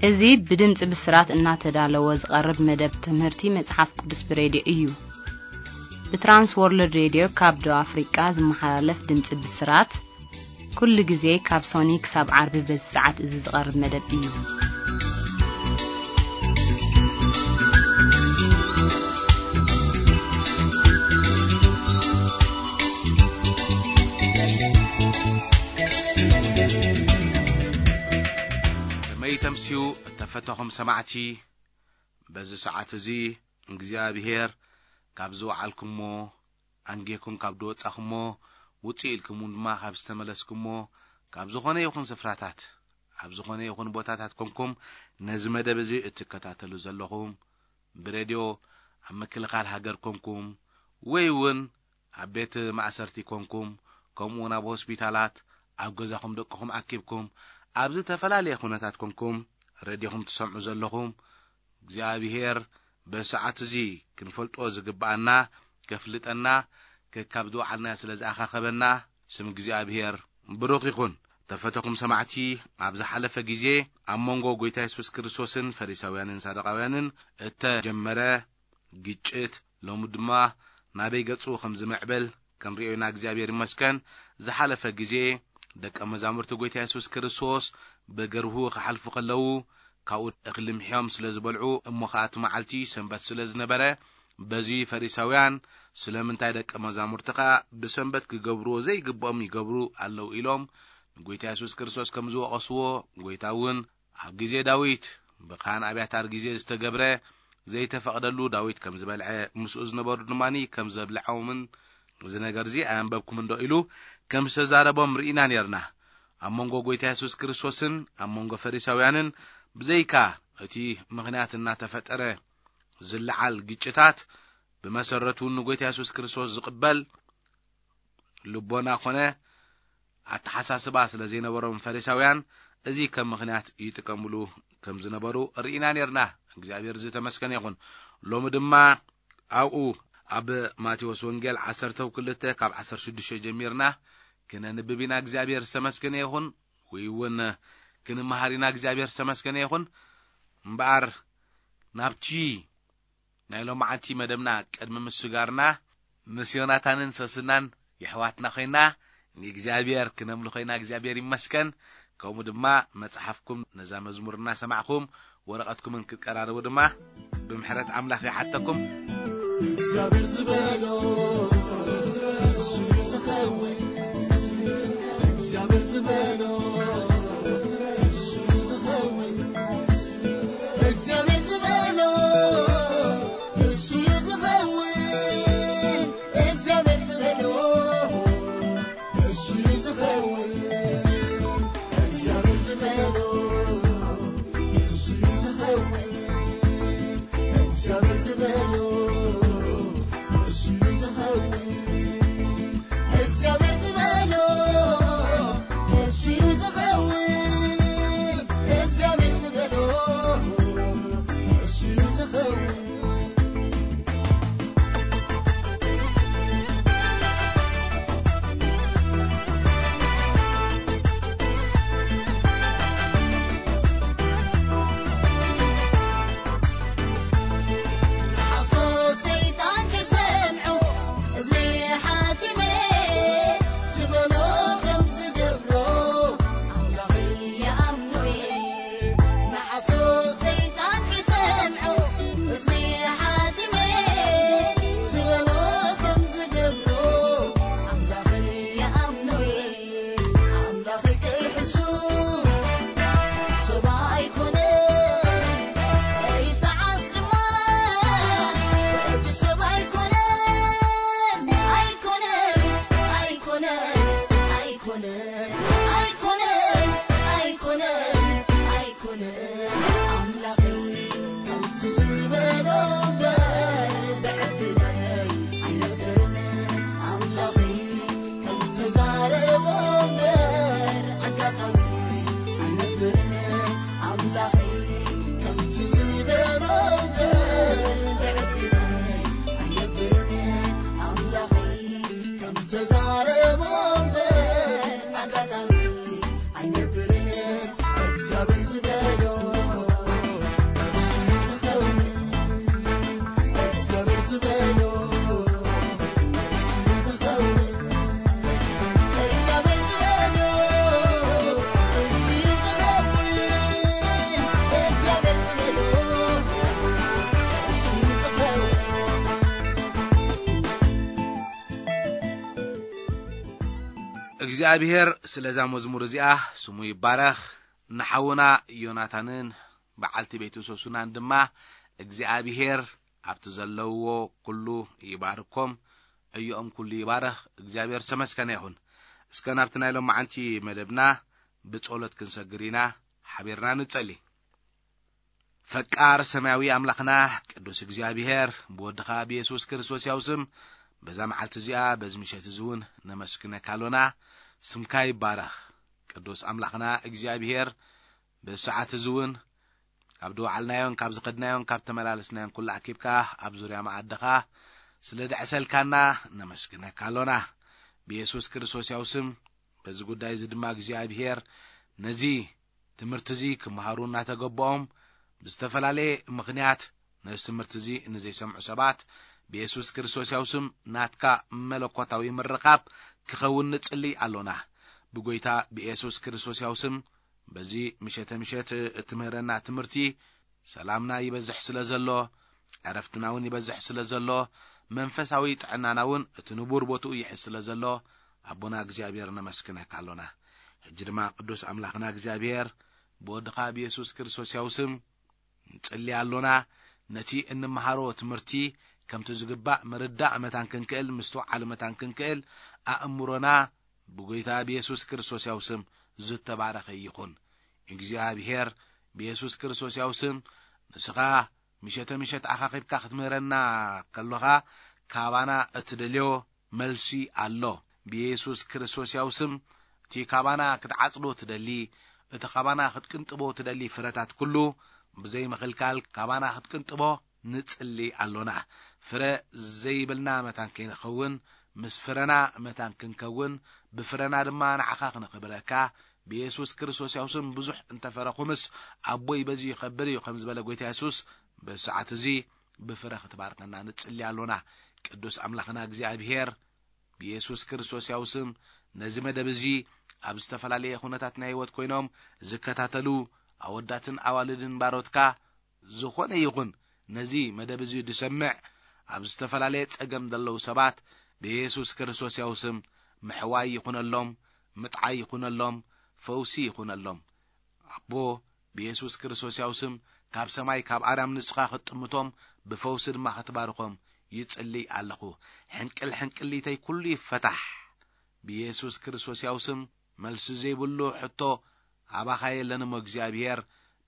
እዚ ብድምፂ ብስራት እናተዳለወ ዝቐርብ መደብ ትምህርቲ መጽሓፍ ቅዱስ ብሬድዮ እዩ። ብትራንስ ወርልድ ሬድዮ ካብ ደቡብ ኣፍሪቃ ዝመሓላለፍ ድምፂ ብስራት፣ ኩሉ ግዜ ካብ ሶኒ ክሳብ ዓርቢ በዚ ሰዓት እዚ ዝቐርብ መደብ እዩ። ከመይ ተምስዩ እተፈተኹም ሰማዕቲ፣ በዚ ሰዓት እዚ እግዚኣብሔር ካብ ዝወዓልኩሞ፣ ኣንጌኩም ካብ ዝወጻኹሞ፣ ውጽእ ኢልኩም ድማ ካብ ዝተመለስኩሞ፣ ካብ ዝኾነ ይኹን ስፍራታት፣ ኣብ ዝኾነ ይኹን ቦታታት ኮንኩም ነዚ መደብ እዚ እትከታተሉ ዘለኹም፣ ብሬድዮ ኣብ ምክልኻል ሃገር ኮንኩም፣ ወይ እውን ኣብ ቤት ማእሰርቲ ኮንኩም፣ ከምኡ እውን ኣብ ሆስፒታላት፣ ኣብ ገዛኹም ደቅኹም ኣኪብኩም፣ ኣብ ዝተፈላለየ ኩነታት ኮንኩም ሬድዮኹም ትሰምዑ ዘለኹም፣ እግዚኣብሔር በሰዓት እዚ ክንፈልጦ ዝግብኣና ከፍልጠና፣ ከካብ ዝወዓልናዮ ስለ ዝኣኻኸበና፣ ስም እግዚኣብሔር ብሩኽ ይኹን። ተፈተኹም ሰማዕቲ፣ ኣብ ዝሓለፈ ግዜ ኣብ መንጎ ጐይታ የሱስ ክርስቶስን ፈሪሳውያንን ሳዱቃውያንን እተጀመረ ግጭት ሎሚ ድማ ናበይ ገጹ ከም ዝምዕብል ክንርእዮ ኢና። እግዚኣብሔር ይመስገን። ዝሓለፈ ግዜ ደቀ መዛሙርቲ ጐይታ የሱስ ክርስቶስ ብገርሁ ክሓልፉ ከለዉ፣ ካብኡ እኽሊ ምሕዮም ስለ ዝበልዑ፣ እሞ ኸኣ እቲ መዓልቲ ሰንበት ስለ ዝነበረ፣ በዚ ፈሪሳውያን፣ ስለምንታይ ደቀ መዛሙርትኻ ብሰንበት ክገብርዎ ዘይግብኦም ይገብሩ ኣለዉ? ኢሎም ንጐይታ የሱስ ክርስቶስ ከም ዝወቐስዎ፣ ጐይታ እውን ኣብ ግዜ ዳዊት ብኻህን ኣብያታር ግዜ ዝተገብረ ዘይተፈቕደሉ ዳዊት ከም ዝበልዐ፣ ምስኡ ዝነበሩ ድማ ከም ዘብልዖምን፣ እዚ ነገርዚ ኣየንበብኩም እንዶ ኢሉ ከም ዝተዛረቦም ርኢና ነርና። ኣብ መንጎ ጐይታ የሱስ ክርስቶስን ኣብ መንጎ ፈሪሳውያንን ብዘይካ እቲ ምኽንያት እናተፈጠረ ዝለዓል ግጭታት፣ ብመሰረቱ ንጐይታ የሱስ ክርስቶስ ዝቕበል ልቦና ኮነ ኣተሓሳስባ ስለ ዘይነበሮም ፈሪሳውያን፣ እዚ ከም ምኽንያት ይጥቀምሉ ከም ዝነበሩ ርኢና ነርና። እግዚኣብሔር ዝተመስገነ ይኹን። ሎሚ ድማ ኣብኡ ኣብ ማቴዎስ ወንጌል ዓሰርተ ክልተ ካብ ዓሰርተ ሽዱሽተ ጀሚርና ክነንብብ ኢና። እግዚኣብሔር ዝተመስገነ ይኹን። ወይ እውን ክንመሃር ኢና። እግዚኣብሔር ዝተመስገነ ይኹን። እምበኣር ናብቲ ናይ ሎማዓንቲ መደብና ቅድሚ ምስጋርና፣ ምስ ዮናታንን ሶስናን የሕዋትና ኮይና ንእግዚኣብሔር ክነምልኾ ኢና። እግዚኣብሔር ይመስገን። ከምኡ ድማ መጽሓፍኩም ነዛ መዝሙር እናሰማዕኹም ወረቐትኩምን ክትቀራረቡ ድማ ብምሕረት ኣምላኽ ይሓተኩም። እግዚኣብሔር ዝበሎ እሱ እዩ ዝኸውን። እግዚኣብሔር ዝበሎ እሱ እዩ ዝኸውን። እግዚኣብሔር ዝበሎ እሱ እዩ ዝኸውን። እግዚኣብሔር ዝበሎ እሱ እዩ ዝኸውን። እግዚኣብሔር ዝበሎ እሱ እዩ ዝኸውን። እግዚኣብሔር ዝበሎ እሱ እዩ ዝኸውን። እግዚኣብሔር ዝበሎ እሱ እዩ ዝኸውን። እግዚኣብሔር ዝበሎ እሱ እዩ ዝኸውን። ሓሶት ሰይጣን ክሰምዑ እዝኒ ሓቲመ ዝበሎ ከም ዝገብሮ ኣምላኸይ ይኣምኖ እየ። ንሓሶት ሰይጣን ክሰምዑ እዝኒ ሓቲመ ዝበሎ ከም ዝገብሮ ኣምላኸይ ይኣምኖ እየ። ኣምላኸይ ከይሕሱ ሰብ ኣይኮነን፣ ከይተዓስ ድማ ወዲ ሰብ ኣይኮነን። ኣይኮነን፣ ኣይኮነን፣ ኣይኮነን፣ ኣይኮነን፣ ኣይኮነን፣ ኣይኮነን። ኣምላኸይ ከምቲ ዝበሎ እምበር ብዕድለይ ኣይነብርን። ኣምላኸይ ከምቲ ተዛረቦ እምበር ኣጋጣሚ ኣይነብርን። ኣምላኸይ ከምቲ ዝበሎ እምበር ብዕድለይ ኣይነብርን። ኣምላኸይ ከምቲ ተዛረቦ እምበር ኣጋጣሚ እግዚኣብሔር ስለዛ መዝሙር እዚኣ ስሙ ይባረኽ። ንሓውና ዮናታንን በዓልቲ ቤቱ ሶሱናን ድማ እግዚኣብሔር ኣብቲ ዘለውዎ ኩሉ ይባርኮም፣ ዕዮኦም ኩሉ ይባረኽ። እግዚኣብሔር ዝተመስገነ ይኹን። እስከ ናብቲ ናይ ሎማዓንቲ መደብና ብጸሎት ክንሰግር ኢና። ሓቢርና ንጸሊ። ፈቃር ሰማያዊ ኣምላኽና ቅዱስ እግዚኣብሔር፣ ብወድኻ ብየሱስ ክርስቶስ ያው ስም በዛ መዓልቲ እዚኣ፣ በዚ ምሸት እዚ እውን ነመስግነካ ኣሎና። ስምካ ይባረኽ። ቅዱስ ኣምላኽና እግዚኣብሔር፣ በዚ ሰዓት እዚ እውን ካብ ዝወዓልናዮን ካብ ዝኸድናዮን ካብ ተመላለስናዮን ኩሉ ኣኪብካ ኣብ ዙርያ መኣድኻ ስለ ደዕሰልካና ነመስግነካ ኣሎና። ብየሱስ ክርስቶስ ያው ስም በዚ ጉዳይ እዚ ድማ እግዚኣብሔር ነዚ ትምህርቲ እዚ ክመሃሩ እናተገበኦም ብዝተፈላለየ ምኽንያት ነዚ ትምህርቲ እዚ ንዘይሰምዑ ሰባት ብየሱስ ክርስቶስ ያው ስም ናትካ መለኮታዊ ምርኻብ ክኸውን ንጽሊ ኣሎና። ብጎይታ ብየሱስ ክርስቶስ ያው ስም በዚ ምሸተ ምሸት እትምህረና ትምህርቲ ሰላምና ይበዝሕ ስለ ዘሎ፣ ዕረፍትና እውን ይበዝሕ ስለ ዘሎ፣ መንፈሳዊ ጥዕናና እውን እቲ ንቡር ቦትኡ ይሕዝ ስለ ዘሎ፣ ኣቦና እግዚኣብሔር ነመስግነካ ኣሎና። ሕጂ ድማ ቅዱስ ኣምላኽና እግዚኣብሔር ብወድኻ ብየሱስ ክርስቶስ ያው ስም ንጽሊ ኣሎና። ነቲ እንመሃሮ ትምህርቲ ከምቲ ዝግባእ ምርዳእ መታን ክንክእል፣ ምስትውዓል መታን ክንክእል፣ ኣእምሮና ብጎይታ ብየሱስ ክርስቶስ ያው ስም ዝተባረኸ ይኹን። እግዚኣብሔር ብየሱስ ክርስቶስ ያው ስም ንስኻ ምሸተ ምሸት ኣኻኺብካ ክትምህረና ከሎኻ ካባና እትደልዮ መልሲ ኣሎ። ብየሱስ ክርስቶስ ያው ስም እቲ ካባና ክትዓጽዶ ትደሊ፣ እቲ ካባና ክትቅንጥቦ ትደሊ ፍረታት ኩሉ ብዘይ ምኽልካል ካባና ክትቅንጥቦ ንጽሊ ኣሎና። ፍረ ዘይብልና መታን ከይንኸውን፣ ምስ ፍረና መታን ክንከውን፣ ብፍረና ድማ ንዓኻ ክነኽብረካ ብየሱስ ክርስቶስ ያው ስም። ብዙሕ እንተፈረኹምስ ኣቦይ በዚ ይኸብር እዩ ከም ዝበለ ጎይታ የሱስ፣ በዚ ሰዓት እዚ ብፍረ ክትባርከና ንጽሊ ኣሎና። ቅዱስ ኣምላኽና እግዚኣብሔር ብየሱስ ክርስቶስ ያው ስም ነዚ መደብ እዚ ኣብ ዝተፈላለየ ኩነታት ናይ ህይወት ኮይኖም ዝከታተሉ ኣወዳትን ኣዋልድን ባሮትካ ዝኾነ ይኹን ነዚ መደብ እዚ ዝሰምዕ ኣብ ዝተፈላለየ ጸገም ዘለዉ ሰባት ብየሱስ ክርስቶስ ያው ስም ምሕዋይ ይኹነሎም፣ ምጥዓይ ይኹነሎም፣ ፈውሲ ይኹነሎም። ኣቦ ብየሱስ ክርስቶስ ያው ስም ካብ ሰማይ ካብ ኣርያም ንስኻ ክትጥምቶም ብፈውሲ ድማ ክትባርኾም ይጽልይ ኣለኹ። ሕንቅል ሕንቅሊተይ ኩሉ ይፈታሕ። ብየሱስ ክርስቶስ ያው ስም መልሲ ዘይብሉ ሕቶ ኣባኻ የለን እሞ እግዚኣብሔር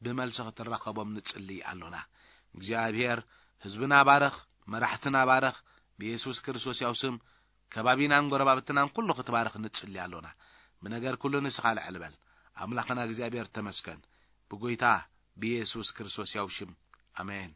ብመልሲ ክትራኸቦም ንጽልይ ኣሎና። እግዚኣብሔር ህዝብና ባርኽ፣ መራሕትና ባርኽ። ብየሱስ ክርስቶስ ያው ስም ከባቢናን ጎረባብትናን ኩሉ ክትባርኽ ንጽሊ ኣሎና። ብነገር ኩሉ ንስኻ ልዕል በል። ኣምላኽና እግዚኣብሔር ተመስገን። ብጎይታ ብየሱስ ክርስቶስ ያው ሽም ኣሜን።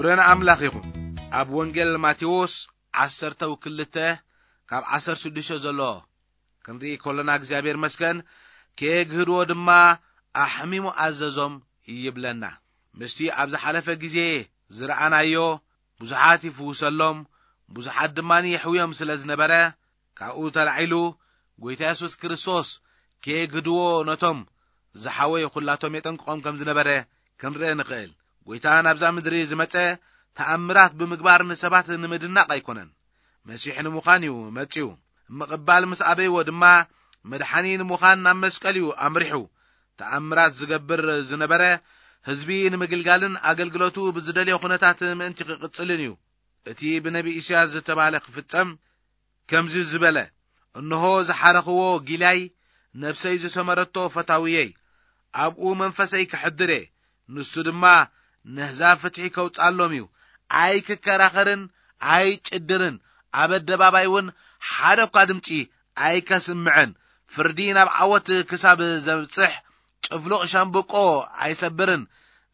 ክብሪ ንኣምላኽ ይኹን። ኣብ ወንጌል ማቴዎስ ዓሰርተ ክልተ ካብ ዓሰርተ ሽዱሽተ ዘሎ ክንርኢ ከሎና እግዚኣብሔር መስገን፣ ከየግህድዎ ድማ ኣሕሚሙ ኣዘዞም ይብለና። ምስቲ ኣብ ዝሓለፈ ግዜ ዝረኣናዮ ብዙሓት ይፍውሰሎም፣ ብዙሓት ድማ የሕውዮም ስለ ዝነበረ፣ ካብኡ ተላዒሉ ጎይታ የሱስ ክርስቶስ ከየግህድዎ ነቶም ዝሓወዩ ኩላቶም የጠንቅቖም ከም ዝነበረ ክንርኢ ንኽእል። ጎይታ ናብዛ ምድሪ ዝመጸ ተኣምራት ብምግባር ንሰባት ንምድናቕ ኣይኮነን። መሲሕ ንምዃን እዩ መጺኡ። ምቕባል ምስ ኣበይዎ ድማ መድሓኒ ንምዃን ናብ መስቀል እዩ ኣምሪሑ። ተኣምራት ዝገብር ዝነበረ ህዝቢ ንምግልጋልን ኣገልግሎቱ ብዝደልዮ ኩነታት ምእንቲ ክቕጽልን እዩ። እቲ ብነቢ ኢሳያስ ዝተባህለ ክፍጸም ከምዚ ዝበለ፣ እንሆ ዝሓረኽዎ ጊላይ፣ ነፍሰይ ዝሰመረቶ ፈታውየይ፣ ኣብኡ መንፈሰይ ከሕድር እየ፣ ንሱ ድማ ነህዛብ ፍትሒ ከውጻሎም እዩ። ኣይክከራኸርን ኣይጭድርን፣ ኣብ ኣደባባይ እውን ሓደ እኳ ድምጺ ኣይከስምዕን። ፍርዲ ናብ ዓወት ክሳብ ዘብጽሕ ጭፍሉቕ ሻምብቆ ኣይሰብርን፣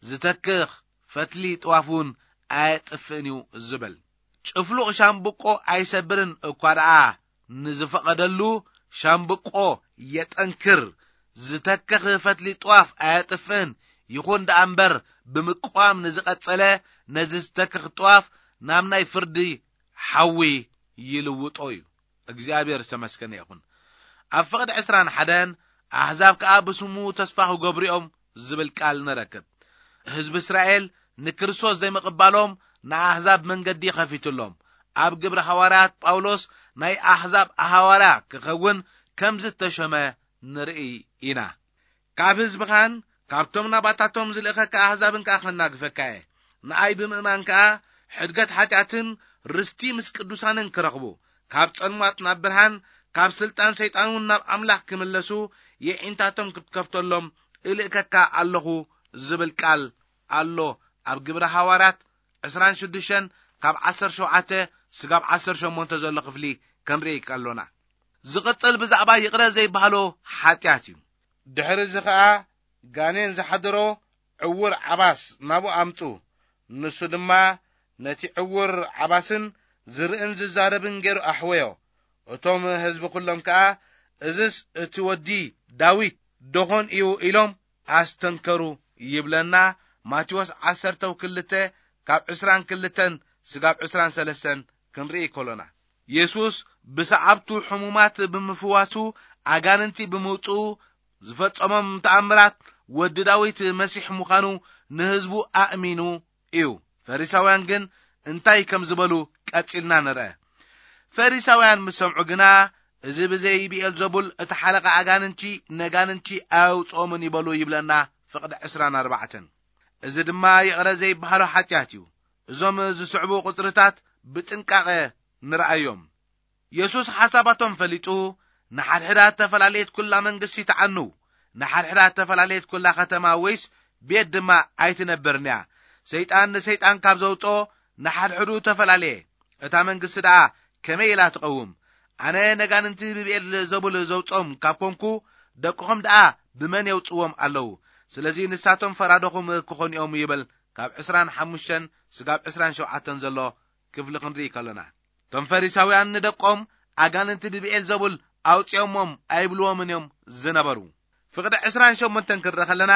ዝተክኽ ፈትሊ ጥዋፍ እውን ኣየጥፍእን እዩ ዝብል። ጭፍሉቕ ሻምብቆ ኣይሰብርን እኳ ደኣ ንዝፈቐደሉ ሻምብቆ የጠንክር፣ ዝተክኽ ፈትሊ ጥዋፍ ኣየጥፍእን። ይኹን ደኣ እምበር ብምቅዋም ንዝቐጸለ ነዚ ዝተክኽ ጥዋፍ ናብ ናይ ፍርዲ ሓዊ ይልውጦ እዩ። እግዚኣብሔር ዝተመስገነ ይኹን። ኣብ ፍቕዲ ዕስራን ሓደን ኣሕዛብ ከኣ ብስሙ ተስፋ ክገብሩ እዮም ዝብል ቃል ንረክብ። ህዝቢ እስራኤል ንክርስቶስ ዘይምቕባሎም ንኣሕዛብ መንገዲ ኸፊትሎም። ኣብ ግብሪ ሃዋርያት ጳውሎስ ናይ ኣሕዛብ ሃዋርያ ክኸውን ከም ዝተሸመ ንርኢ ኢና። ካብ ህዝብኻን ካብቶም ናባታቶም ዝልእኸካ ኣሕዛብን ከኣ ከናግፈካ እየ። ንኣይ ብምእማን ከኣ ሕድገት ሓጢኣትን ርስቲ ምስ ቅዱሳንን ክረኽቡ፣ ካብ ጸልማት ናብ ብርሃን፣ ካብ ስልጣን ሰይጣን እውን ናብ ኣምላኽ ክምለሱ የዒንታቶም ክትከፍተሎም እልእከካ ኣለኹ ዝብል ቃል ኣሎ። ኣብ ግብረ ሃዋርያት ዕስራን ሽዱሽተን ካብ ዓሰርተ ሸውዓተ ስጋብ ዓሰርተ ሸሞንተ ዘሎ ክፍሊ ክንርኢ ከሎና፣ ዝቕጽል ብዛዕባ ይቕረ ዘይበሃሎ ሓጢኣት እዩ። ድሕሪ እዚ ኸኣ ጋኔን ዝሓደሮ ዕውር ዓባስ ናብኡ ኣምጹ። ንሱ ድማ ነቲ ዕውር ዓባስን ዝርእን ዝዛረብን ገይሩ ኣሕወዮ። እቶም ህዝቢ ኩሎም ከኣ፣ "እዝስ እቲ ወዲ ዳዊት ደኾን እዩ?" ኢሎም ኣስተንከሩ ይብለና። ማቴዎስ ዓሰርተ ክልተ ካብ ዕስራን ክልተን ስጋብ ዕስራን ሰለስተን ክንርኢ ከሎና፣ የሱስ ብሰዓብቱ ሕሙማት ብምፍዋሱ፣ ኣጋንንቲ ብምውጽኡ ዝፈጸሞም ተኣምራት፣ ወዲ ዳዊት መሲሕ ምዃኑ ንህዝቡ ኣእሚኑ እዩ። ፈሪሳውያን ግን እንታይ ከም ዝበሉ ቀጺልና ንርአ። ፈሪሳውያን ምስ ሰምዑ ግና፣ "እዚ ብዘይ ብኤልዘቡል እተሓለቐ ኣጋንንቲ ነጋንንቲ ኣየውጽኦምን" ይበሉ ይብለና ፍቕዲ ዕስራን ኣርባዕተን። እዚ ድማ ይቕረ ዘይበሃሎ ሓጢኣት እዩ። እዞም ዝስዕቡ ቁጽርታት ብጥንቃቐ ንርኣዮም። የሱስ ሓሳባቶም ፈሊጡ፣ "ንሓድሕዳ እተፈላለየት ኩላ መንግስቲ ትዓኑ፣ ንሓድሕዳ እተፈላለየት ኩላ ከተማ ወይስ ቤት ድማ ኣይትነብርን እያ። ሰይጣን ንሰይጣን ካብ ዘውጽኦ ንሓድሕዱ ተፈላለየ። እታ መንግስቲ ደኣ ከመይ ኢላ ትቐውም? ኣነ ነጋንንቲ ብብኤል ዘቡል ዘውጾም ካብ ኮንኩ፣ ደቅኹም ደኣ ብመን የውጽዎም ኣለዉ? ስለዚ ንሳቶም ፈራዶኹም ክኾኑ እዮም" ይብል። ካብ ዕስራን ሓሙሽተን ስጋብ ዕስራን ሸውዓተን ዘሎ ክፍሊ ክንርኢ ከሎና፣ እቶም ፈሪሳውያን ንደቆም ኣጋንንቲ ብብኤል ዘቡል ኣውጺኦሞም ኣይብልዎምን እዮም ዝነበሩ። ፍቕዲ ዕስራን ሸሞንተን ክንርኢ ከለና፣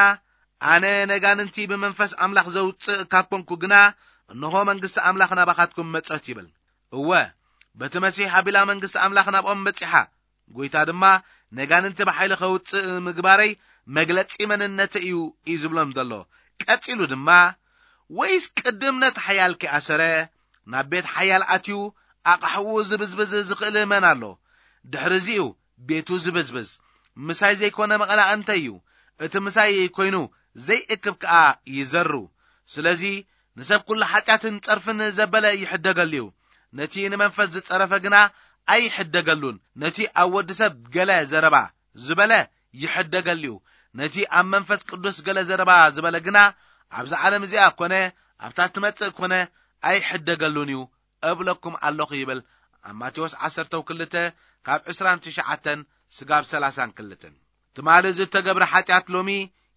"ኣነ ነጋንንቲ ብመንፈስ ኣምላኽ ዘውጽእ ካብ ኮንኩ ግና፣ እንሆ መንግስቲ ኣምላኽ ናባኻትኩም መጸት" ይብል። እወ፣ በቲ መሲሕ ኣቢላ መንግስቲ ኣምላኽ ናብኦም በጺሓ። ጎይታ ድማ፣ "ነጋንንቲ ብሓይሊ ከውጽእ ምግባረይ መግለጺ መንነተይ እዩ" እዩ ዝብሎም ዘሎ። ቀጺሉ ድማ፣ "ወይስ ቅድም ነቲ ሓያል ከይኣሰረ፣ ናብ ቤት ሓያል ኣትዩ ኣቕሓኡ ዝብዝብዝ ዝኽእል መን ኣሎ? ድሕሪ እዚ እዩ ቤቱ ዝብዝብዝ። ምሳይ ዘይኮነ መቐላቕንተይ እዩ። እቲ ምሳይ ኮይኑ ዘይእክብ ከኣ ይዘሩ። ስለዚ ንሰብ ኩሉ ሓጢኣትን ጸርፍን ዘበለ ይሕደገሉ እዩ። ነቲ ንመንፈስ ዝጸረፈ ግና ኣይሕደገሉን። ነቲ ኣብ ወዲ ሰብ ገለ ዘረባ ዝበለ ይሕደገሉ እዩ። ነቲ ኣብ መንፈስ ቅዱስ ገለ ዘረባ ዝበለ ግና ኣብዛ ዓለም እዚኣ ኮነ ኣብታ ትመጽእ ኮነ ኣይሕደገሉን እዩ እብለኩም ኣለኹ" ይብል። ኣብ ማቴዎስ ዓሰርተ ክልተ ካብ ዕስራን ትሽዓተን ስጋብ ሰላሳን ክልተን። ትማሊ ዝተገብረ ሓጢኣት ሎሚ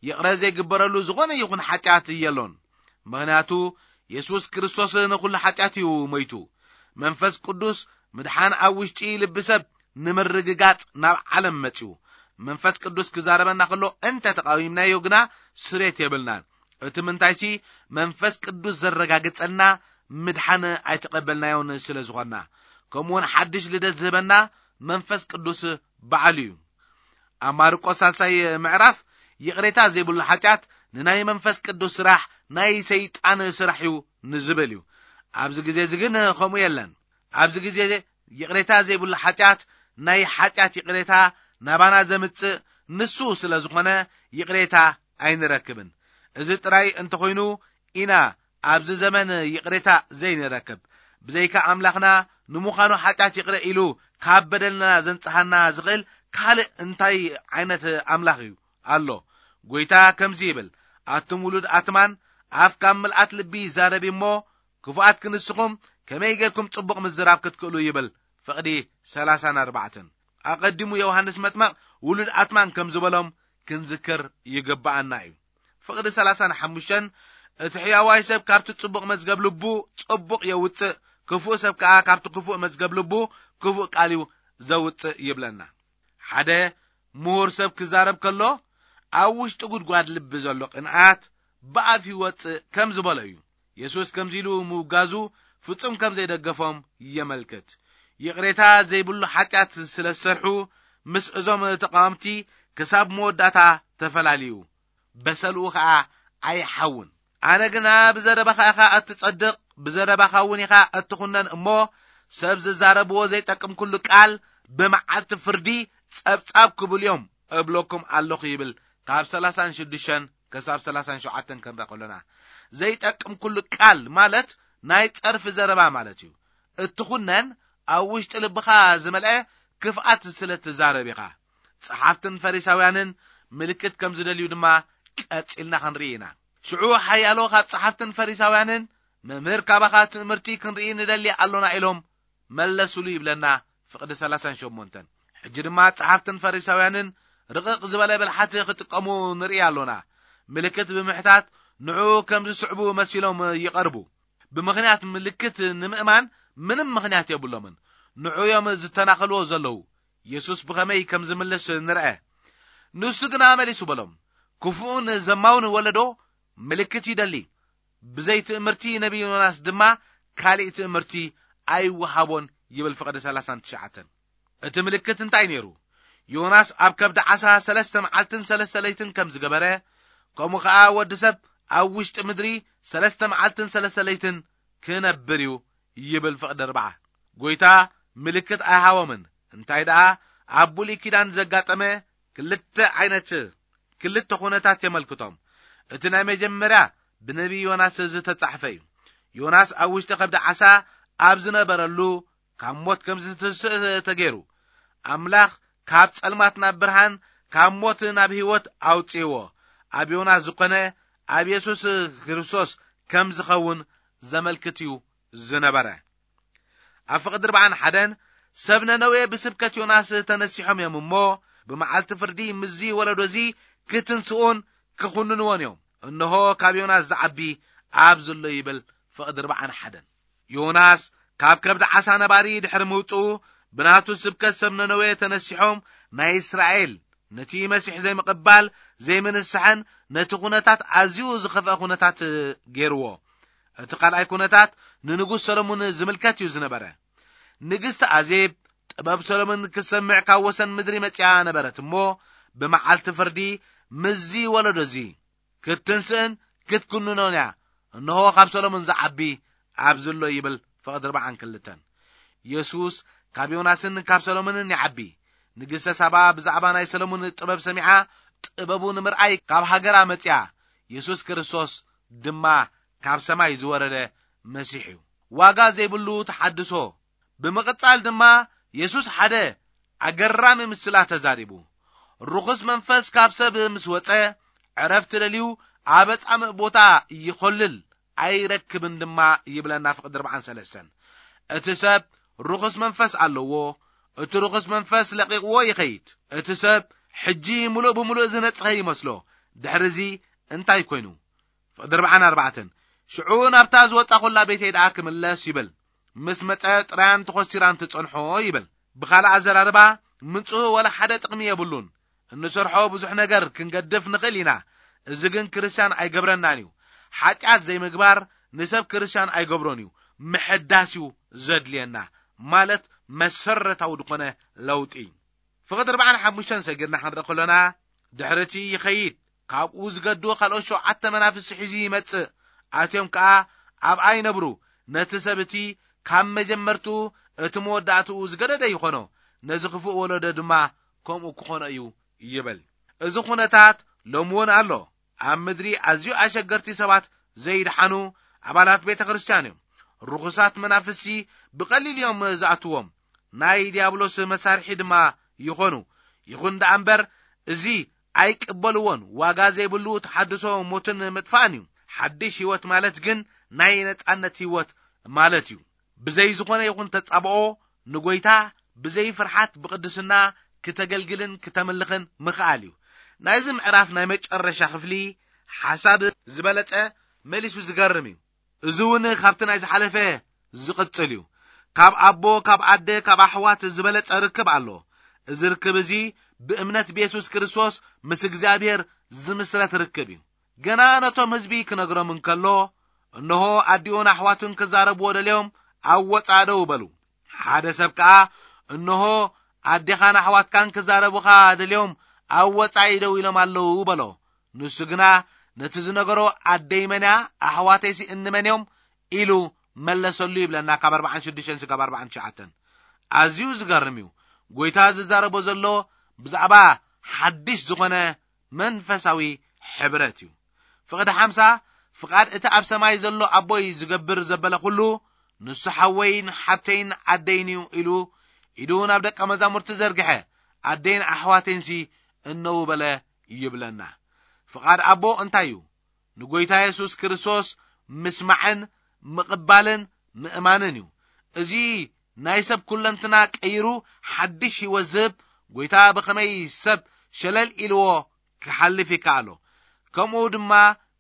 ይቕረ ዘይግበረሉ ዝኾነ ይኹን ሓጢኣት የሎን። ምኽንያቱ የሱስ ክርስቶስ ንኹሉ ሓጢኣት እዩ ሞይቱ። መንፈስ ቅዱስ ምድሓን ኣብ ውሽጢ ልቢ ሰብ ንምርግጋጽ ናብ ዓለም መጺኡ። መንፈስ ቅዱስ ክዛረበና ከሎ እንተ ተቃዊምናዮ ግና ስሬት የብልናን። እቲ ምንታይሲ መንፈስ ቅዱስ ዘረጋግጸልና ምድሓን ኣይተቐበልናዮን ስለ ዝኾንና። ከምኡውን ሓድሽ ልደት ዝህበና መንፈስ ቅዱስ በዓሉ እዩ። ኣብ ማርቆስ ሳልሳይ ምዕራፍ ይቕሬታ ዘይብሉ ሓጢኣት ንናይ መንፈስ ቅዱስ ስራሕ ናይ ሰይጣን ስራሕ እዩ ንዝብል እዩ። ኣብዚ ግዜ እዚ ግን ከምኡ የለን። ኣብዚ ግዜ ይቕሬታ ዘይብሉ ሓጢኣት ናይ ሓጢኣት ይቕሬታ ናባና ዘምጽእ ንሱ ስለ ዝኾነ ይቕሬታ ኣይንረክብን። እዚ ጥራይ እንተኾይኑ ኢና ኣብዚ ዘመን ይቕሬታ ዘይንረክብ። ብዘይካ ኣምላኽና ንምዃኑ ሓጢኣት ይቕረ ኢሉ ካብ በደልና ዘንጽሃና ዝኽእል ካልእ እንታይ ዓይነት ኣምላኽ እዩ ኣሎ? ጎይታ ከምዚ ይብል፣ "ኣቱም ውሉድ ኣትማን፣ ኣፍ ካብ ምልኣት ልቢ ይዛረብ እሞ፣ ክፉኣት ክንስኹም ከመይ ጌርኩም ጽቡቕ ምዝራብ ክትክእሉ?" ይብል። ፍቕዲ ሰላሳን ኣርባዕተን። ኣቐዲሙ ዮሃንስ መጥመቕ ውሉድ ኣትማን ከም ዝበሎም ክንዝክር ይግብኣና እዩ። ፍቕዲ ሰላሳን ሓሙሽተን፣ "እቲ ሕያዋይ ሰብ ካብቲ ጽቡቕ መዝገብ ልቡ ጽቡቕ የውጽእ፣ ክፉእ ሰብ ከኣ ካብቲ ክፉእ መዝገብ ልቡ ክፉእ ቃል እዩ ዘውጽእ" ይብለና። ሓደ ምሁር ሰብ ክዛረብ ከሎ፣ "ኣብ ውሽጢ ጉድጓድ ልቢ ዘሎ ቅንኣት ብኣፍ ይወጽእ" ከም ዝበሎ እዩ። የሱስ ከምዚ ኢሉ ምውጋዙ ፍጹም ከም ዘይደገፎም የመልክት። ይቕሬታ ዘይብሉ ሓጢኣት ስለ ዝሰርሑ፣ ምስ እዞም ተቓወምቲ ክሳብ መወዳእታ ተፈላልዩ። በሰልኡ ኸኣ ኣይሓውን። ኣነ ግና ብዘረባኻ ኢኻ እትጸድቕ፣ ብዘረባኻ እውን ኢኻ እትኹነን እሞ፣ ሰብ ዝዛረብዎ ዘይጠቅም ኩሉ ቃል ብመዓልቲ ፍርዲ ጸብጻብ ክብሉ እዮም እብለኩም ኣለኹ ይብል። ካብ ሰላሳን ሽዱሽተን ክሳብ ሰላሳን ሸውዓተን ክንርኢ ከሎና፣ ዘይጠቅም ኩሉ ቃል ማለት ናይ ጸርፊ ዘረባ ማለት እዩ። እትኹነን ኣብ ውሽጢ ልብኻ ዝመልአ ክፍኣት ስለ ትዛረብ ኢኻ። ጸሓፍትን ፈሪሳውያንን ምልክት ከም ዝደልዩ ድማ ቀጺልና ክንርኢ ኢና። ሽዑ ሓያሎ ካብ ጸሓፍትን ፈሪሳውያንን፣ "መምህር፣ ካባኻ ትእምርቲ ክንርኢ ንደሊ ኣሎና" ኢሎም መለሱሉ ይብለና ፍቕዲ ሰላሳን ሸሞንተን። ሕጂ ድማ ጸሓፍትን ፈሪሳውያንን ርቕቕ ዝበለ ብልሓት ክጥቀሙ ንርኢ ኣሎና። ምልክት ብምሕታት ንዕኡ ከም ዝስዕቡ መሲሎም ይቐርቡ። ብምኽንያት ምልክት ንምእማን ምንም ምኽንያት የብሎምን። ንዑ እዮም ዝተናኸልዎ ዘለዉ። የሱስ ብኸመይ ከም ዝምልስ ንርአ። ንሱ ግና መሊሱ በሎም፣ "ክፉእን ዘማውን ወለዶ ምልክት ይደሊ፣ ብዘይ ትእምርቲ ነቢ ዮናስ ድማ ካሊእ ትእምርቲ ኣይወሃቦን" ይብል ፍቕዲ ሰላሳን ትሽዓተን። እቲ ምልክት እንታይ ነይሩ? ዮናስ ኣብ ከብዲ ዓሳ ሰለስተ መዓልትን ሰለስተ ለይትን ከም ዝገበረ፣ ከምኡ ኸኣ ወዲ ሰብ ኣብ ውሽጢ ምድሪ ሰለስተ መዓልትን ሰለስተ ለይትን ክነብር እዩ ይብል ፍቕዲ ኣርብዓ። ጎይታ ምልክት ኣይሃቦምን። እንታይ ደኣ ኣብ ብሉይ ኪዳን ዘጋጠመ ክልተ ዓይነት፣ ክልተ ኩነታት የመልክቶም። እቲ ናይ መጀመርያ ብነቢ ዮናስ ዝተጻሕፈ እዩ። ዮናስ ኣብ ውሽጢ ከብዲ ዓሳ ኣብ ዝነበረሉ ካብ ሞት ከም ዝትስእ ተገይሩ። ኣምላኽ ካብ ጸልማት ናብ ብርሃን፣ ካብ ሞት ናብ ህይወት ኣውጽእዎ። ኣብ ዮናስ ዝኾነ ኣብ የሱስ ክርስቶስ ከም ዝኸውን ዘመልክት እዩ ዝነበረ። ኣብ ፍቕዲ ኣርብዓን ሓደን፣ ሰብ ነነዌ ብስብከት ዮናስ ተነሲሖም እዮም እሞ፣ ብመዓልቲ ፍርዲ ምስዚ ወለዶ እዚ ክትንስኡን ክኹንንዎን እዮም። እንሆ፣ ካብ ዮናስ ዝዓቢ ኣብዚ ኣሎ ይብል ፍቕዲ ኣርብዓን ሓደን። ዮናስ ካብ ከብዲ ዓሳ ነባሪ ድሕሪ ምውጽኡ፣ ብናቱ ስብከት ሰብ ነነዌ ተነሲሖም ናይ እስራኤል ነቲ መሲሕ ዘይምቕባል፣ ዘይምንስሐን ነቲ ኩነታት ኣዝዩ ዝኸፍአ ኩነታት ገይርዎ። እቲ ካልኣይ ኩነታት ንንጉስ ሰሎሞን ዝምልከት እዩ ዝነበረ። ንግስቲ ኣዜብ ጥበብ ሰሎሞን ክትሰምዕ ካብ ወሰን ምድሪ መጺኣ ነበረት እሞ፣ ብመዓልቲ ፍርዲ ምስዚ ወለዶ እዚ ክትትንስእን ክትኩንኖን እያ። እንሆ፣ ካብ ሰሎሞን ዝዓቢ ኣብዚ ኣሎ ይብል ፍቕዲ ኣርብዓን ክልተን። የሱስ ካብ ዮናስን ካብ ሰሎሞንን ይዓቢ። ንግስተ ሳባ ብዛዕባ ናይ ሰሎሞን ጥበብ ሰሚዓ፣ ጥበቡ ንምርኣይ ካብ ሃገራ መጺኣ። የሱስ ክርስቶስ ድማ ካብ ሰማይ ዝወረደ መሲሕ እዩ። ዋጋ ዘይብሉ ተሓድሶ። ብምቕጻል ድማ የሱስ ሓደ ኣገራሚ ምስላ ተዛሪቡ። ርኹስ መንፈስ ካብ ሰብ ምስ ወጸ፣ ዕረፍቲ ደልዩ ኣብ ኣጻምእ ቦታ ይኾልል፣ ኣይረክብን ድማ ይብለና ፍቕዲ ኣርብዓን ሰለስተን። እቲ ሰብ ርኹስ መንፈስ ኣለዎ፣ እቲ ርኹስ መንፈስ ለቒቕዎ ይኸይድ። እቲ ሰብ ሕጂ ምሉእ ብምሉእ ዝነጽኸ ይመስሎ። ድሕርዚ እንታይ ኮይኑ? ፍቕዲ ኣርብዓን ኣርባዕተን፣ ሽዑ ናብታ ዝወጻኹላ ቤተይ ደኣ ክምለስ ይብል። ምስ መጸ ጥራያን ተኾሲራን ትጸንሖ ይብል። ብኻልእ ኣዘራርባ፣ ምጽኡ ወላ ሓደ ጥቕሚ የብሉን። እንሰርሖ ብዙሕ ነገር ክንገድፍ ንኽእል ኢና። እዚ ግን ክርስትያን ኣይገብረናን እዩ። ሓጢኣት ዘይምግባር ንሰብ ክርስትያን ኣይገብሮን እዩ። ምሕዳስ እዩ ዘድልየና፣ ማለት መሰረታዊ ዝኾነ ለውጢ። ፍቕዲ ኣርባዓን ሓሙሽተን ሰጊርና ክንርኢ ከሎና፣ ድሕሪ እቲ ይኸይድ፣ ካብኡ ዝገዱ ካልኦት ሸውዓተ መናፍስቲ ሒዙ ይመጽእ። ኣትዮም ከኣ ኣብኣ ይነብሩ። ነቲ ሰብ እቲ ካብ መጀመርትኡ እቲ መወዳእትኡ ዝገደደ ይኾኖ፣ ነዚ ክፉእ ወለዶ ድማ ከምኡ ክኾኖ እዩ ይብል። እዚ ኩነታት ሎሚ እውን ኣሎ። ኣብ ምድሪ ኣዝዩ ኣሸገርቲ ሰባት ዘይድሓኑ ኣባላት ቤተ ክርስቲያን እዮም። ርኹሳት መናፍስቲ ብቐሊል እዮም ዝኣትዎም። ናይ ዲያብሎስ መሳርሒ ድማ ይኾኑ። ይኹን ደኣ እምበር፣ እዚ ኣይቅበልዎን። ዋጋ ዘይብሉ ተሓድሶ ሞትን ምጥፋእን እዩ። ሓድሽ ህይወት ማለት ግን ናይ ነጻነት ህይወት ማለት እዩ። ብዘይ ዝኾነ ይኹን ተጻብኦ ንጎይታ ብዘይ ፍርሓት ብቕድስና ክተገልግልን ክተምልኽን ምኽኣል እዩ። ናይዚ ምዕራፍ ናይ መጨረሻ ክፍሊ ሓሳብ ዝበለጸ መሊሱ ዝገርም እዩ። እዚ እውን ካብቲ ናይ ዝሓለፈ ዝቕጽል እዩ። ካብ ኣቦ፣ ካብ ኣደ፣ ካብ ኣሕዋት ዝበለጸ ርክብ ኣሎ። እዚ ርክብ እዚ ብእምነት ብየሱስ ክርስቶስ ምስ እግዚኣብሔር ዝምስረት ርክብ እዩ። ገና ነቶም ህዝቢ ክነግሮም እንከሎ፣ እንሆ ኣዲኡን ኣሕዋቱን ክዛረብዎ ደልዮም ኣብ ወጻኢ ደው በሉ። ሓደ ሰብ ከኣ፣ እንሆ ኣዴኻን ኣሕዋትካን ክዛረቡኻ ደልዮም ኣብ ወጻኢ ደው ኢሎም ኣለዉ በሎ። ንሱ ግና ነቲ ዝነገሮ፣ ኣደይ መን እያ? ኣሕዋተይሲ እንመን እዮም? ኢሉ መለሰሉ ይብለና፣ ካብ ኣርባዓን ሽዱሽተን ስጋብ ኣርባዓን ትሽዓተን። ኣዝዩ ዝገርም እዩ። ጎይታ ዝዛረቦ ዘሎ ብዛዕባ ሓድሽ ዝኾነ መንፈሳዊ ሕብረት እዩ። ፍቕዲ ሓምሳ፣ ፍቓድ እቲ ኣብ ሰማይ ዘሎ ኣቦይ ዝገብር ዘበለ ኩሉ፣ ንሱ ሓወይን ሓብተይን ኣደይን እዩ ኢሉ ኢዱ ናብ ደቀ መዛሙርቲ ዘርግሐ፣ ኣደይን ኣሕዋተይንሲ እነዉ በለ ይብለና። ፍቓድ ኣቦ እንታይ እዩ? ንጎይታ የሱስ ክርስቶስ ምስማዕን ምቕባልን ምእማንን እዩ። እዚ ናይ ሰብ ኩለንትና ቀይሩ ሓድሽ ህይወት ዝህብ ጎይታ ብኸመይ ሰብ ሸለል ኢልዎ ክሓልፍ ይከኣሎ? ከምኡ ድማ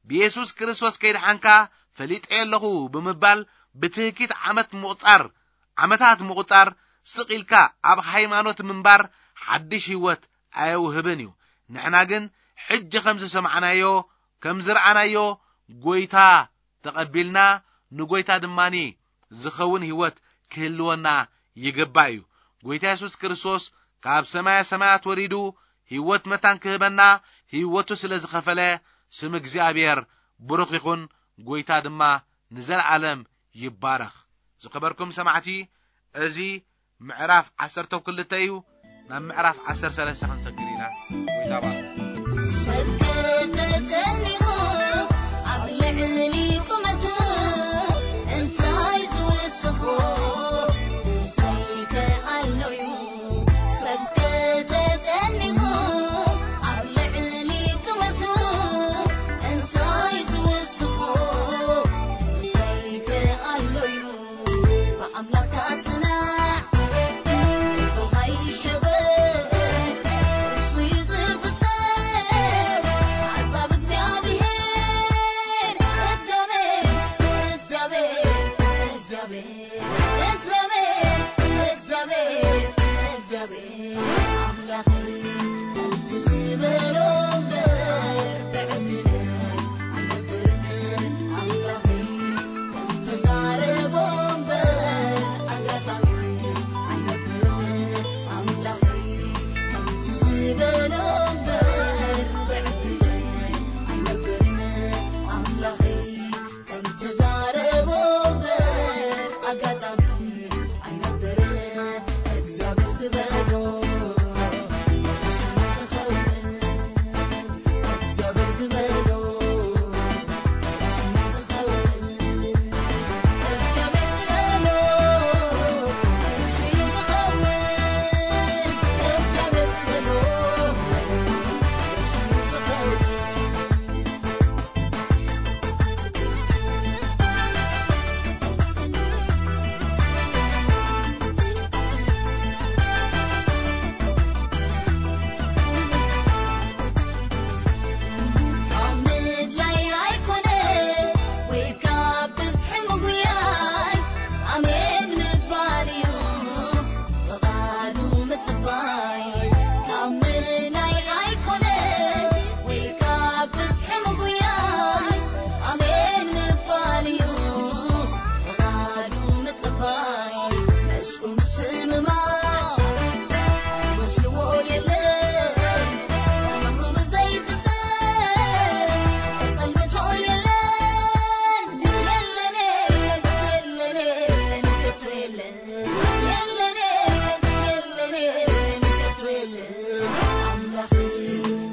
ብየሱስ ክርስቶስ ከይድሓንካ ፈሊጠ ኣለኹ ብምባል ብትህኪት ዓመት ምቑጻር፣ ዓመታት ምቑጻር ስቕ ኢልካ ኣብ ሃይማኖት ምንባር ሓድሽ ህይወት ኣየውህብን እዩ። ንሕና ግን ሕጂ ከም ዝሰማዕናዮ፣ ከም ዝረኣናዮ ጎይታ ተቐቢልና ንጎይታ ድማኒ ዝኸውን ህይወት ክህልወና ይግባእ እዩ። ጎይታ የሱስ ክርስቶስ ካብ ሰማያ ሰማያት ወሪዱ ህይወት መታን ክህበና ህይወቱ ስለ ዝኸፈለ ስም እግዚኣብሔር ብሩኽ ይኹን። ጎይታ ድማ ንዘለዓለም ይባረኽ። ዝኸበርኩም ሰማዕቲ፣ እዚ ምዕራፍ ዓሰርተ ክልተ እዩ። ናብ ምዕራፍ ዓሰርተ ሰለስተ ክንሰግር ኢና። ጎይታ ባርክ። ሰብ ከተጨኒቑ ኣብ ልዕሊ ቁመቱ እንታይ ዝውስኾ? እንታይ ከኣሎ እዩ? ሰብ ከተጨኒቑ ኣብ ልዕሊ ቁመቱ እንታይ ዝውስኾ? እንታይ ከኣሎ እዩ? ብኣምላኽካ ጽናዕ፣ ብኻ ይሸበር፣ እሱ እዩ ዝፍጠር። ሓሳብ እግዚኣብሔር፣ እግዚኣብሔር፣ እግዚኣብሔር፣ እግዚኣብሔር፣ እግዚኣብሔር፣ እግዚኣብሔር፣ እግዚኣብሔር ኣምላኽ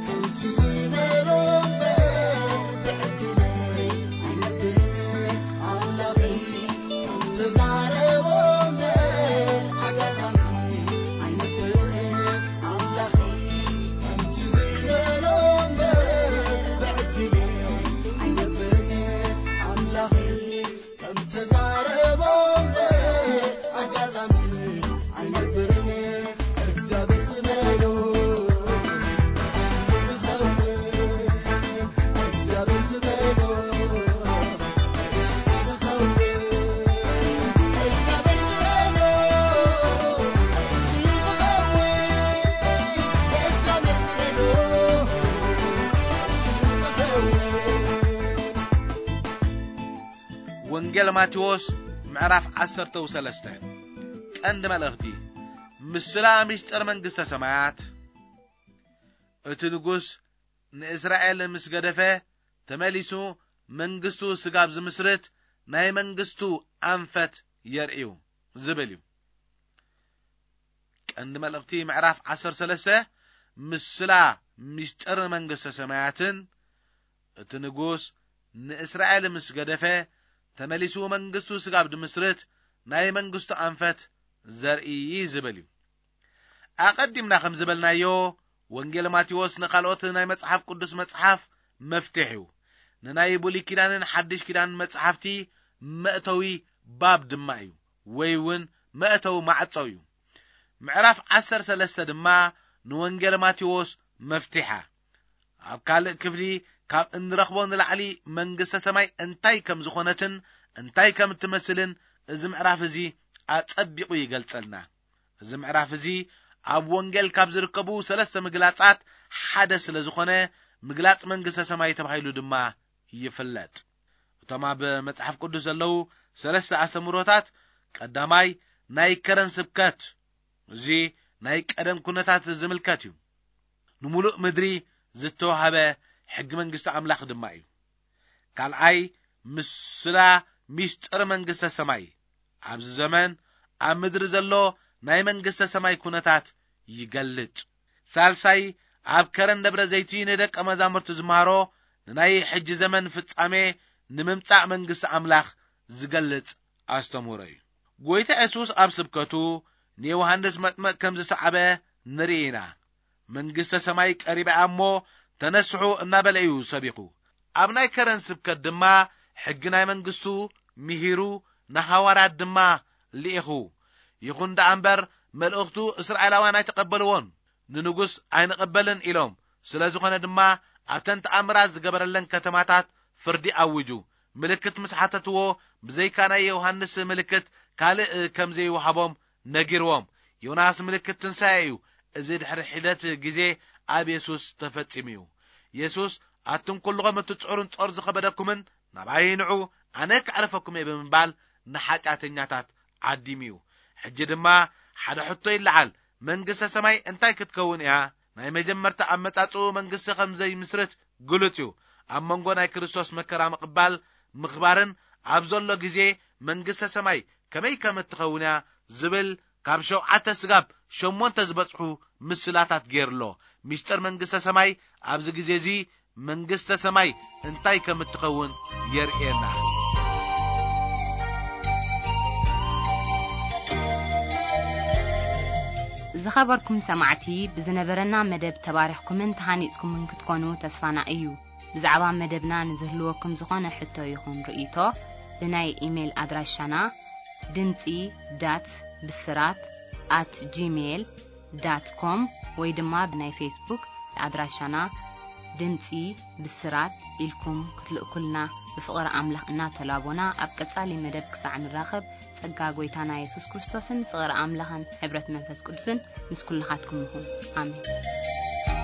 ከምቲ ዝበሎ እምበር ብዕድል ወንጌል ማቴዎስ ምዕራፍ ዓሰርተ ሰለስተ። ቀንዲ መልእኽቲ፣ ምስላ ምስጢር መንግስተ ሰማያት። እቲ ንጉስ ንእስራኤል ምስ ገደፈ፣ ተመሊሱ መንግስቱ ስጋብ ዝምስርት ናይ መንግስቱ ኣንፈት የርእዩ ዝብል እዩ። ቀንዲ መልእኽቲ ምዕራፍ ዓሰርተ ሰለስተ፣ ምስላ ምስጢር መንግስተ ሰማያትን፣ እቲ ንጉስ ንእስራኤል ምስ ገደፈ፣ ተመሊሱ መንግስቱ ስጋብ ድምስርት ናይ መንግስቱ ኣንፈት ዘርኢ ዝብል እዩ። ኣቐዲምና ከም ዝበልናዮ፣ ወንጌል ማቴዎስ ንኻልኦት ናይ መጽሓፍ ቅዱስ መጽሓፍ መፍትሕ እዩ። ንናይ ብሉይ ኪዳንን ሓድሽ ኪዳን መጽሓፍቲ መእተዊ ባብ ድማ እዩ፣ ወይ እውን መእተዊ ማዕጾ እዩ። ምዕራፍ ዓሰርተ ሰለስተ ድማ ንወንጌል ማቴዎስ መፍትሓ። ኣብ ካልእ ክፍሊ ካብ እንረኽቦ ንላዕሊ መንግስተ ሰማይ እንታይ ከም ዝኾነትን እንታይ ከም እትመስልን እዚ ምዕራፍ እዚ ኣጸቢቑ ይገልጸልና። እዚ ምዕራፍ እዚ ኣብ ወንጌል ካብ ዝርከቡ ሰለስተ ምግላጻት ሓደ ስለ ዝኾነ፣ ምግላጽ መንግስተ ሰማይ ተባሂሉ ድማ ይፍለጥ። እቶም ኣብ መጽሓፍ ቅዱስ ዘለዉ ሰለስተ ኣስተምህሮታት፣ ቀዳማይ ናይ ከረን ስብከት፣ እዚ ናይ ቀደም ኩነታት ዝምልከት እዩ። ንምሉእ ምድሪ ዝተዋህበ ሕጊ መንግስቲ ኣምላኽ ድማ እዩ። ካልኣይ፣ ምስላ ሚስጥር መንግስተ ሰማይ፣ ኣብዚ ዘመን ኣብ ምድሪ ዘሎ ናይ መንግስተ ሰማይ ኩነታት ይገልጽ። ሳልሳይ፣ ኣብ ከረን ደብረ ዘይቲ ንደቀ መዛሙርቲ ዝመሃሮ ንናይ ሕጂ ዘመን ፍጻሜ ንምምጻእ መንግስቲ ኣምላኽ ዝገልጽ ኣስተምህሮ እዩ። ጎይታ የሱስ ኣብ ስብከቱ ንዮሃንስ መጥመቕ ከም ዝሰዓበ ንርኢ ኢና። መንግስተ ሰማይ ቀሪባ እያ እሞ ተነስሑ እናበለ እዩ ሰቢኹ። ኣብ ናይ ከረን ስብከት ድማ ሕጊ ናይ መንግስቱ ምሂሩ ንሃዋርያት ድማ ልኢኹ። ይኹን ደኣ እምበር መልእኽቱ እስራኤላውያን ኣይተቐበልዎን። ንንጉስ ኣይንቐበልን ኢሎም። ስለ ዝኾነ ድማ ኣብተን ተኣምራት ዝገበረለን ከተማታት ፍርዲ ኣዊጁ። ምልክት ምስ ሓተትዎ ብዘይካ ናይ ዮሃንስ ምልክት ካልእ ከም ዘይወሃቦም ነጊርዎም። ዮናስ ምልክት ትንሳኤ እዩ። እዚ ድሕሪ ሒደት ግዜ ኣብ የሱስ ተፈጺሙ እዩ። የሱስ ኣቱም ኩልኹም እትጽዕሩን ጾር ዝኸበደኩምን ናባይ ንዑ፣ ኣነ ከዕርፈኩም እየ ብምባል ንሓጢኣተኛታት ዓዲሙ እዩ። ሕጂ ድማ ሓደ ሕቶ ይለዓል። መንግስተ ሰማይ እንታይ ክትከውን እያ? ናይ መጀመርታ ኣመጻጽኡ መንግስቲ ከም ዘይምስርት ግሉጽ እዩ። ኣብ መንጎ ናይ ክርስቶስ መከራ ምቕባል ምኽባርን ኣብ ዘሎ ግዜ መንግስተ ሰማይ ከመይ ከም እትኸውን እያ ዝብል ካብ ሸውዓተ ስጋብ ሸሞንተ ዝበጽሑ ምስላታት ገይርሎ። ምስጢር መንግስተ ሰማይ ኣብዚ ግዜ እዚ መንግስተ ሰማይ እንታይ ከም እትኸውን የርእየና። ዝኸበርኩም ሰማዕቲ፣ ብዝነበረና መደብ ተባሪኽኩምን ተሃኒጽኩምን ክትኮኑ ተስፋና እዩ። ብዛዕባ መደብና ንዝህልወኩም ዝኾነ ሕቶ ይኹን ርእይቶ፣ ብናይ ኢሜይል ኣድራሻና ድምጺ ዳት ብስራት ኣት ጂሜይል ዳት ኮም ወይ ድማ ብናይ ፌስቡክ ኣድራሻና ድምጺ ብስራት ኢልኩም ክትልእኩልና ብፍቕሪ ኣምላኽ እናተላቦና፣ ኣብ ቀጻሊ መደብ ክሳዕ ንራኸብ፣ ጸጋ ጐይታና የሱስ ክርስቶስን ፍቕሪ ኣምላኽን ሕብረት መንፈስ ቅዱስን ምስ ኩልኻትኩም ይኹን። ኣሜን።